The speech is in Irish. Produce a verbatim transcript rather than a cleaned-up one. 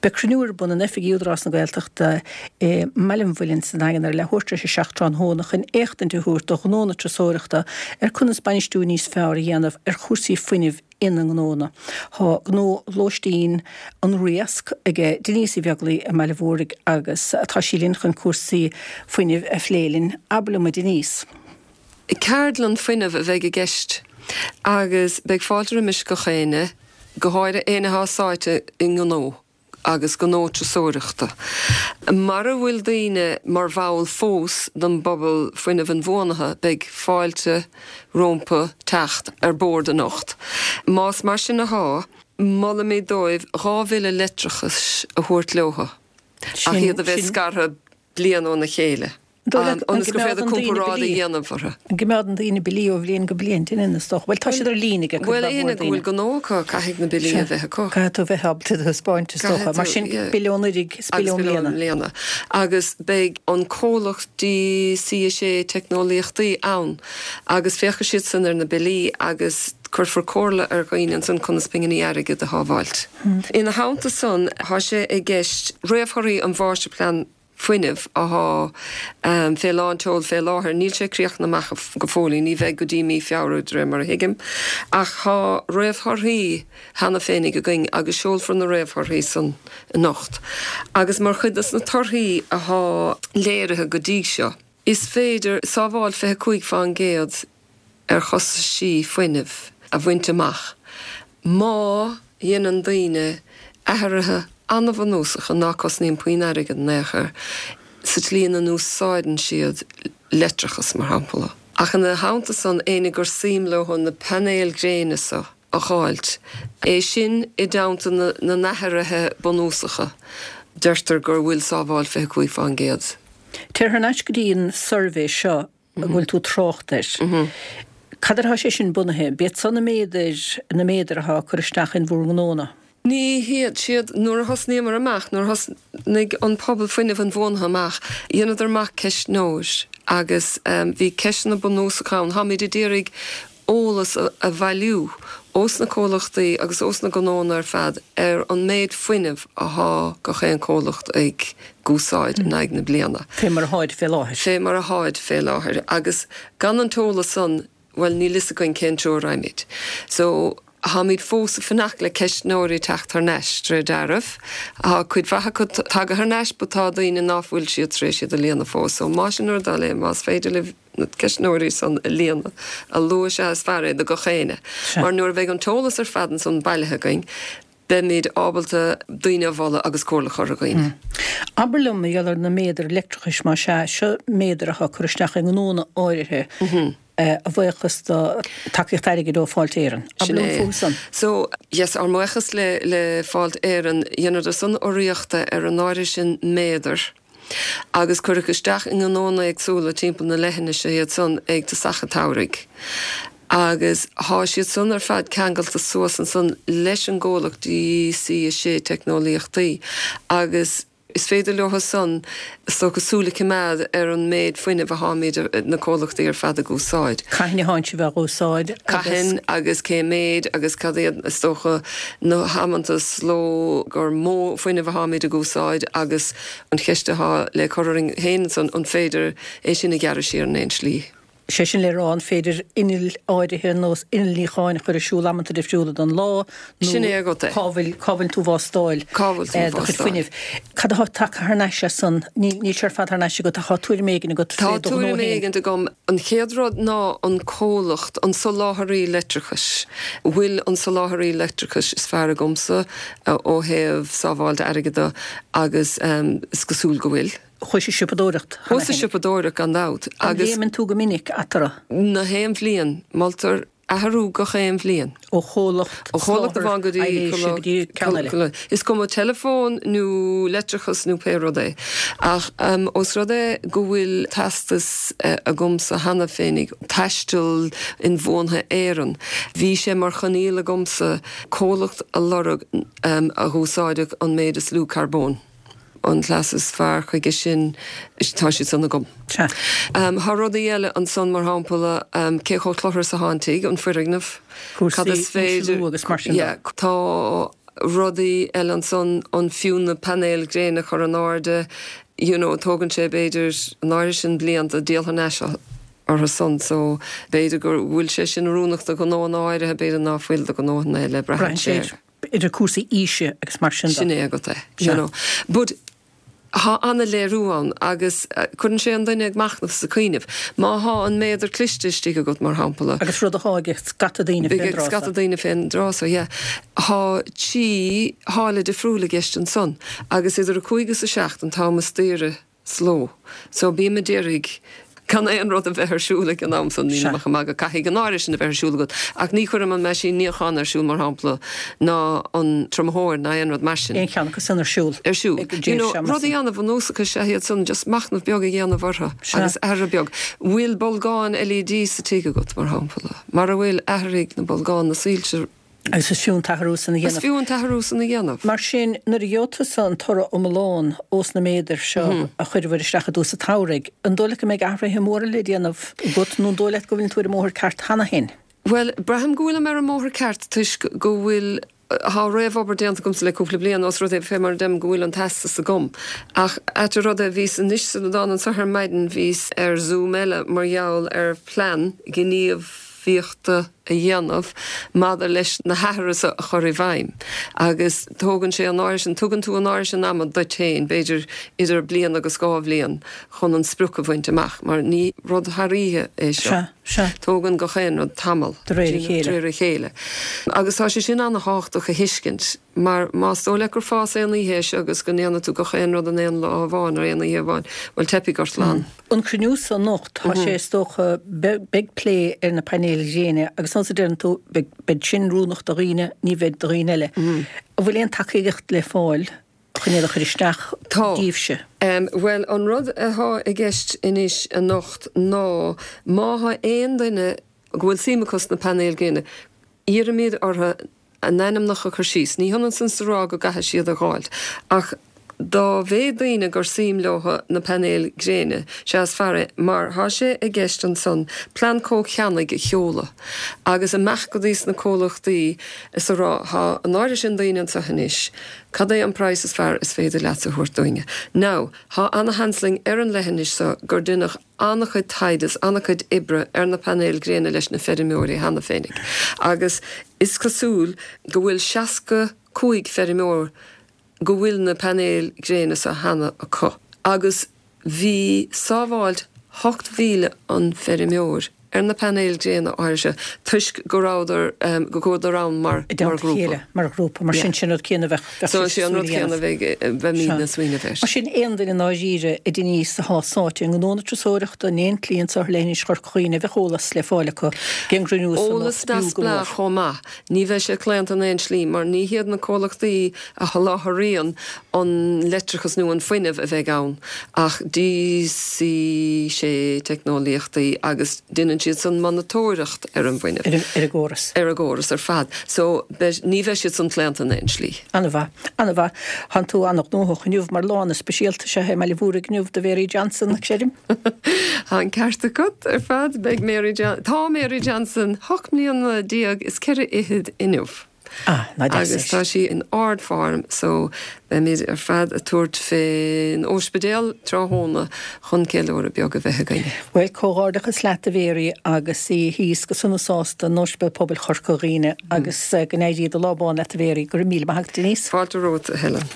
Beidh cruinniú ar bun in oifigí Údarás na Gaeltachta i mBaile an Mhuilinn sa Daingean ar leathuair tar éis a seacht tráthnóna chun éachtaint a thabhairt do ghnónna turasóireachta ar conas bainistiú níos fearr a dhéanamh ar chúrsaí fuinnimh ina ngnónna. Tá gnó lóistín an Riasc ag Denise Uí Bheaglaoi i mBaile Mhúirg agus tá sí linn chun cúrsaí fuinnimh a phlé linn. Abair liom a Denise. Ceardlann fuinnimh a bheidh i gceist agus beidh fáilte roimis gach éinne, go háirithe éinne atá sáite i ngnó agus gnó turasóireachta. Mara bhfuil daoine mar bhall fós den bpobal fuinnimh inbhuanaithe, beidh fáilte rompu teacht ar bord anocht. Más mar sin athá, molaimid dóibh dhá bhille leictreachais a thabhairt leo, ach iad a bheith scartha bliain óna chéile. Ionas gur féidir comparáid a dhéanamh orthu. An gcoimeádann daoine billí ó bhliain go bliain, déanann is dócha. Bhuel tá siad ar líne ag Bhuel éinne go bhfuil gnó acu caithfidh na billí a bheith acu. Caithfidh tú bheith ábalta a thaispeáint is dócha. Mar sin bille ón anuraidh is bille i mbliana. Agus beidh an comhlacht D C a sé teicneolaíochtaí ann agus féachfaidh siad san ar na billí agus cuirfear comhairle ar dhaoine ansan conas pinginí airgid a shábháilt. Ina theannta san tá sé i gceist réamhthorthaí an mháistirphlean fuinnimh athá um, fé lán tseoil fé láthair, níl sé críochnaithe amach go fóill, ní bheidh go dtí mí Feabhra de réir mar a thuigim, ach tá réamhthorthaí cheana féinig againn agus seolfar na réamhthorthaí san anocht. Agus mar chuid des na torthaí athá léirithe go dtí seo. Is féidir sábháil fiche cúig faoin gcéad ar chostaisí fuinnimh a bhaint amach. Má dhéanann daoine athruithe an-bhunúsacha ná cosnaíonn puinn airgid in aon chor sa tslí ina n-úsáideann siad leictreachas mar shampla. Ach ina theannta san éinne gur suim leo na painéil gréine seo a fháilt. É sin i dteannta na n-athruithe bunúsacha, deirtear gur bhfuil sábháil fiche cúig faoin gcéad. Téir thar n-ais go dtí an suirbhé seo a bhfuil tú trácht air. Cad atá sé sin bunaithe, b'iad san na méadair na méadair atá cur isteach in bhur ngnónna. Ní hiad siad nuair a thosnaíomar amach, nuair a thosnaigh an pobal fuinnimh inbhuanaithe amach, dheineadar amach ceistneoir agus um, bhí ceisteanna bunúsacha ann, Táimid ag iarraidh eolas a, a bhailiú ós na comhlachtaí agus ós na gnónna ar fad ar an méid fuinnimh athá gach aon comhlacht ag úsáid in aghaidh na bliana. Fé mar atháid fé láthair. Fé mar atháid fé láthair agus gan an t-eolas san well níl fhios againn cén treo a raghaimid. So táimid fós ag fanacht le ceistneoirí teacht thar n-ais tré dearbh. Tá cuid mhaith acu tagtha thar n-ais but tá daoine ná fuil siad tar éis iad a líonadh fós, so má sin ar dul é más féidir libh na ceistneoirí san a líonadh a luaithe is fearr é do gach éinne. Mar nuair a bheidh an t-eolas ar fad ansan bailithe againn, beimid ábalta daoine a mholadh agus comhairle a chur ar dhaoine. Abair liom a gheall ar na méadair leictreachais mar sea seo méadair atá cur isteach i ngnónna áirithe a bhuíochas do tacaíocht airgid ó Fáilte Éireann. Sin é. So yes, ár mbuíochas le le Fáilte Éireann dhéanadar san urraíocht ar an áirithe sin méadar. Agus cuireadh isteach i ngnónna éagsúla timpeall na leithinise iad san ag tosach an tsamhraidh. Agus tá siad san ar fad ceangailte suas ansan leis an gcomhlacht D C a sé teicneolaíochtaí agus is féidir leo san so cosúla coimeád ar an méid fuinnimh atháimid na comhlachtaí ar fad ag úsáid. Cathain atá sibh á úsáid Cathain agus cé méid agus cad iad is dócha na hamanta is ló gur mó fuinnimh atháimid ag úsáid agus an cheist atá le cur orainn féin san an féidir é sin a ghearradh siar in aon slí. Sé sin le rá an féidir innill áirithe nó innill níocháin a chur ar siúl amanta difriúla don lá Sin é agat é. cá bhfuil cá bhfuil tú bhástáil Cá bhfuil tú do chuid bhástáil. fuinnimh. Cad atá tagtha thar n-ais as san níl sé ar fad thar n-ais agat tá tuairim éigin agat Tá fé do ghnó tuairim féin. éigin agam an chéad rud ná an comhlacht an soláthraí leictreachais. Bhfuil an soláthraí leictreachais is fearr agamsa ó thaobh sábháilt airgid agus um, is cosúil go bhfuil. Chuaigh siopadóireacht. Chuas siopadóireacht gan dabht agus léimeann tú go minic eatarthu na haon bhliain moltar athrú gach aon bhliain. ó chomhlacht Ó chomhlacht amháin go dtí go dtí ceann eile. Is cuma teileafón nó leictreachas nó pé rud é. Ach um, os rud é go bhfuil teastas uh, agamsa cheana féinig taisteal inbhuanaithe Éireann. Bhí sé mar choinníoll agamsa comhlacht a lorg um, a úsáideadh an méid is lú carbón. An cleas is fearr chuige sin tá siad san agam. Sea. Um, Tá rudaí eile ansan mar shampla um, cé chomh cluthar is atá an tigh an foirgneamh Cúrsaí insealú agus mar sin de. Yeah, tá Rudaí eile ansan an fiú na painéil gréine a chur in airde, you know, tógann sé b'fhéidir an áirithe sin blianta díol thar n-ais orthu san so b'fhéidir go bhfuil sé sin oiriúnach do ghnóanna áirithe b'fhéidir ná fuil do ghnóanna eile braitheann sé. Idir cúrsaí aoise agus mar sin de. Sin é agat é, you know. But Thá ana-léiriú ann agus cuireann sé an duine ag machnamh is ag cuimhneamh. Má thá an méadar cliste istigh agat, mar shampla. Agus rud athá ag scata daoine fén dtráth so. Scata daoine fén dtráth so, yeah. Thá trí tháille difriúil i gceist ansan agus idir a cúig is a seacht an t-am is daoire sa ló. So bím a d'iarraidh gan aon rud a bheith ar siúl ag an am san, nílim ach ag magadh, caithfidh an áirithe sin a bheith ar siúl agat, ach ní chuirim an meaisín níocháin ar siúl, mar shampla, ná an triomaitheoir ná aon rud mar sin. Aon cheann acu san ar siúl. Ar siúl. You know, rudaí an-bhunúsacha is ea iad san, just machnamh beag a dhéanamh orthu agus athrú beag. Bhfuil bolgáin LED sa tigh agat, mar shampla? Mara bhfuil, athraigh na bolgáin, na soilse. Agus is fiú an t-athrú san a dhéanamh. Is fiú an t-athrú san a dhéanamh. Mar sin, nuair a gheobhaidh tusa an toradh iomlán ós na méadair seo a chuireabhair isteach i dtús an tsamhraidh, an dóigh leat go mbeidh athruithe móra le déanamh agat nó an dóigh leat go bhfuileann tú ar an mbóthar ceart cheana féin? Bhuel, braithim go bhfuilim ar an mbóthar ceart toisc go bhfuil, thá réamhobair déanta agamsa le cúpla bliain ós rud é, fé mar a deirim, go bhfuil an teastas agam. Ach ait an rud é, bhíos anois sula dtána anso ar maidin, bhíos ar Zoom eile mar gheall ar phlean gníomhaíochta a dhéanamh maidir leis na hathruithe so a chur i bhfeidhm agus tógann sé an áirithe sin, tugann tú an áirithe sin ama duit féin, b'fhéidir idir bliain agus dhá bhliain chun an sprioc a bhaint amach mar ní rud thar oíche é seo. Sea, sea. Tógann gach aon rud tamall. De réir a chéile. De réir a chéile. Agus tá sé sin ana-thábhachtach a thuiscint mar más dóigh leat gur fás aon oíche é seo agus go ndéanfaidh tú gach aon rud in aon lá amháin nó aon oíche amháin, bhuel teipfidh ort lán. An cruinniú so anocht, tá sé is dócha, beidh plé ar na painéil ghréine agus nós a deireann tú, beidh sin oiriúnach do dhaoine, ní bheidh do dhaoine eile. An bhfuil aon tacaíocht le fáil chun iad a chur isteach daoibhse? Tá. Bhuel, an rud athá i gceist anois anocht ná má thá aon duine go bhfuil suim acu sna painéil ghréine, iarraimid orthu a n-ainmneacha a chur síos. Ní hionann san 's a rá go gcaithfidh siad a dh'fháilt, ach dá mhéad daoine gur suim leo na painéil gréine, sea is fearr é, mar thá sé i gceist ansan plean comhcheannaigh a sheoladh agus imeacht go dtí sna comhlachtaí is a rá, thá an áirithe sin daoine anso anois, cad é an praghas is fearr is féidir leatsa a thabhairt dúinne? Now, thá ana-sheans linn ar an leithinis so gur deineadh an-chuid taighde is an-chuid oibre ar na painéil gréine leis na feirmeoirí cheana féinig agus is cosúil go bhfuil seasca cúig feirmeoir go bhfuil na painéil gréine so cheana acu agus bhí sábháilt hocht mhíle an feirmeoir ar na painéil gréine áirithe toisc go rabhadar, go gcuadar ann mar I dteannta a grúpa. chéile, mar ghrúpa. Mar sin, sin an rud céanna a bheadh, bheadh So, sé sé an súil rud a céanna dhéanamh. a bheidh, beimídne ag smaoineamh air. Mar sin, aon duine i ndáiríre, a Denise, athá sáite i ngnó na turasóireachta, in aon tslí anso ar leithinis Chorca Dhuibhne, bheadh eolas le fáil acu ag an gcruinniú san Eolas b'fhiú go mór. neamhspleách chomh maith. Ní bheidh sé claonta in aon slí mar ní hiad na comhlachtaí a sholáthraíonn an leictreachas nó an fuinneamh a bheidh ann ach DC sé Teicneolaíochtaí agus déanann siad san monatóireacht ar an bhfuinneamh. Ar an gcóras. Ar an gcóras ar fad. So beidh, ní bheidh siad san claonta in aon slí. Ana-mhaith. Ana-mhaith. Thánn tú ana-ghnóthach inniu mar lá ana-speisialta is ea é i mBaile Mhúirne inniu do Mhary Johnson, creidim. Tá an ceart agat ar fad. Beidh Mary John, tá Mary Johnson hocht mbliana déag is ceithre fhichead inniu. Ah, ná deas Agus tá é. sí in ardfhoirm so beimid ar fad ag tabhairt fén óispidéal tráthnóna chun ceiliúradh beag a bheith againn. Bhuel, comhghairdeachas leat a Mhary agus í thíos go sona sásta in Ospidéal Pobail Chorca Dhuibhne agus go n-éirí do lá bán leat a Mhary. Go raibh míle maith agat Denise. Fáilte romhat a Helen.